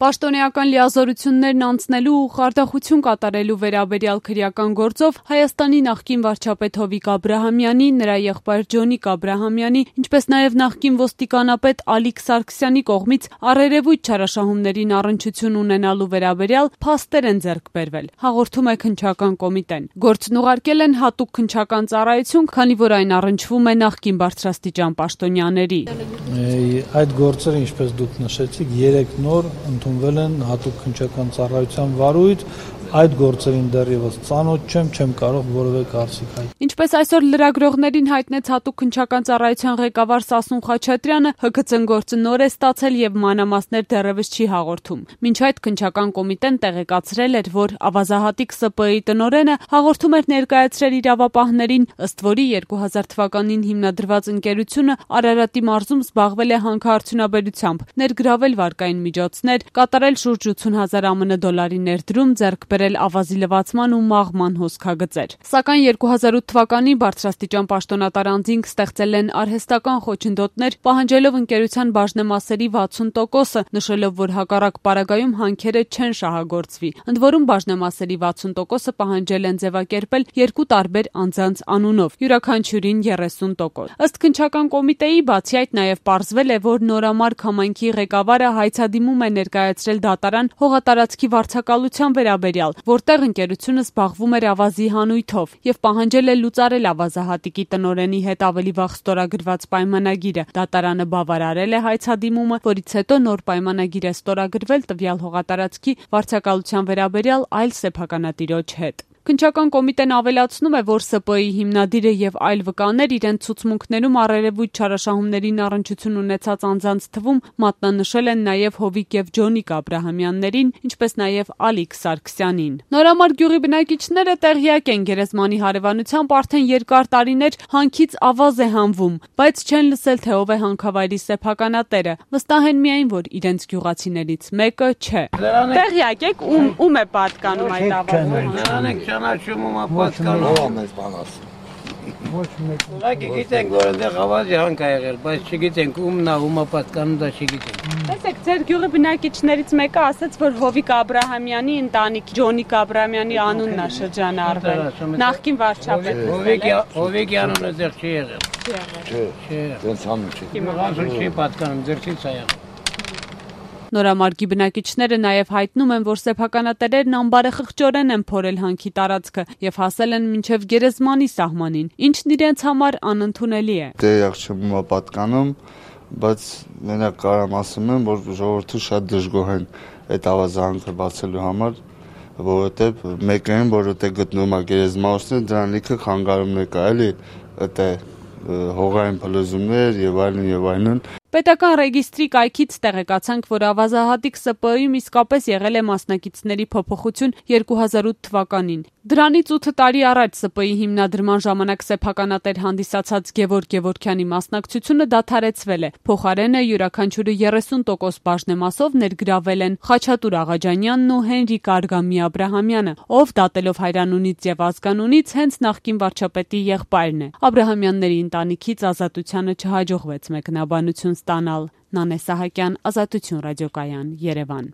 Պաշտոնեական լիազորություններն անցնելու ու խարդախություն կատարելու վերաբերյալ քրեական գործով Հայաստանի նախկին վարչապետ Հովիկ Աբրահամյանի, նրա եղբայր Ջոնիկ Աբրահամյանի, ինչպես նաև նախկին ոստիկանապետ Ալիկ Սարգսյանի կողմից առերևույթ չարաշահումներին առնչություն ունենալու վերաբերյալ փաստեր են ձեռք բերվել, հաղորդում է քննչական կոմիտեն։ Գործն ուղարկել են հատուկ քննչական ծառայություն, քանի որ այն առնչվում է նախկին բարձրաստիճան պաշտոնյաների։ Այդ գործերը, ինչպես դուք նշեցիք, 3 նոր ընդունվել են հատուկ քննչական ծառայության վարույթ, այդ գործերին դեռևս ծանոթ չեմ կարող որևէ կարծիք հայտնել։ Ինչպես այսօր լրագրողներին հայտնեց հատուկ քննչական ծառայության ղեկավար Սասուն Խաչատրյանը, ՀՔՑ-ն գործը նոր է ստացել եւ մանրամասներ դեռևս չի հաղորդում։ Մինչ այդ քննչական կոմիտեն տեղեկացրել էր, որ ավազահատիկ ՍՊԸ-ի տնօրենը հաղորդում էր ներկայացրել իրավապահներին, ըստ որի 2000 թվականին հիմնադրված ընկերությունը Արարատի մարզում զբաղվել է հանքարդյունաբերությամբ, ներգրավել վարկային միջոցներ, կատարել շուրջ 80,000 ԱՄՆ դոլարի ներդրում, ձեռք բերել ավազի լվացման ու մաղման հոսքագծեր։ Սակայն 2008 թվականի բարձրաստիճան պաշտոնատար անձինք ստեղծել են արհեստական խոչընդոտներ, պահանջելով ընկերության բաժնեմասերի 60%-ը, նշելով, որ հակառակ պարագայում հանքերը չեն շահագործվի։ Ընդ որում բաժնեմասերի 60%-ը պահանջել են ձևակերպել 2 տարբեր անձանց անունով, յուրաքանչյուրին 30%։ Ըստ քննչական կոմիտեի, բացի այդ նաև պարզվել է, որ նորամարկ համայնքի ղեկավարը հայցադիմում է ներկայացրել դատարան հողատարածքի վարձակալության վերաբերյալ, որտեղ ընկերությունը զբաղվում էր ավազի հանույթով եւ պահանջել է լուծարել ավազահատիկի տնօրենի հետ ավելի վաղ ստորագրված պայմանագիրը։ Դատարանը բավարարել է հայցադիմումը, որից հետո նոր պայմանագիր է ստորագրվել տվյալ հողատարածքի վարձակալության վերաբերյալ այլ սեփականատիրոջ հետ։ Քննչական կոմիտեն ավելացնում է, որ ՍՊԸ-ի հիմնադիրը եւ այլ վկաներ իրենց ցուցմունքներում առերևույթ չարաշահումներին առնչություն ունեցած անձանց թվում մատնանշել են նաեւ Հովիկ եւ Ջոնիկ Աբրահամյաններին, ինչպես նաեւ Ալիկ Սարգսյանին։ Նորամարկ գյուղի բնակիչները տեղյակ են գերեզմանի հարևանությամբ արդեն երկար տարիներ հանքից ավազ է հանվում, բայց չեն լսել, թե ով է հանքավայրի սեփականատերը։ Վստահ են միայն, որ իրենց գյուղացիներից մեկը չէ։ Տեղյակ եք ում է պատկանում այդ ավազը։ Ճանաչումը պատկանում ամենից բանաս։ Ոչ մեկ։ Ուղղակի գիտենք, որ այնտեղ ավազի հանք ա եղել, բայց չգիտենք ումն է, ումա պատկանում դա չգիտենք։ Տեսեք, ձեր գյուղի բնակիչներից մեկը ասաց, որ Հովիկ Աբրահամյանի ընտանիք Ջոնիկ Աբրահամյանի անունն է շրջանը արվել։ Նախկին վարչապետ։ Հովիկի անունը դեռ չի եղել։ Չէ, դրանց անուն չի։ Իմացու չի պատկանում, դեռ չի եղել։ Նորամարգի բնակիչները նաև հայտնում են, որ սեփականատերերն անբարեխղճորեն են փորել հանքի տարածքը եւ հասել են մինչեւ գերեզմանի սահմանին, ինչն իրենց համար անընդունելի է։ Դե չեմ պատկանում, բայց մենակ կարամ ասում եմ, որ ժողովուրդը շատ դժգոհ են այդ ավազանքը բացելու համար, որովհետեւ մեկը են, որ որտեղ գտնվում է գերեզմանոցը, դրան լիքը խանգարումներ կա, էլի, այդտեղ հողային փլուզումներ եւ այլն։ Պետական ռեգիստրի կայքից տեղեկացանք, որ ավազահատիկ ՍՊԸ-ում իսկապես եղել է մասնակիցների փոփոխություն 2008 թվականին։ Դրանից 8 տարի առաջ ՍՊԸ-ի հիմնադրման ժամանակ սեփականատեր հանդիսացած Գևորգ Գևորգյանի մասնակցությունը դադարեցվել է։ Փոխարենը յուրաքանչյուրը 30% բաժնեմասով ներգրավել են Խաչատուր Աղաջանյանն ու Հենրիկ Արգամի Աբրահամյանը, ով դատելով հայրանունից եւ ազգանունից հենց նախկին վարչապետի եղբայրն է։ Աբրահամյանների ընտանիքից Ազատությանը չհաջողվեց մեկնաբանություն ստանալ։ Նանե Սահակյան, Ազատություն ռադիոկայան, Երևան։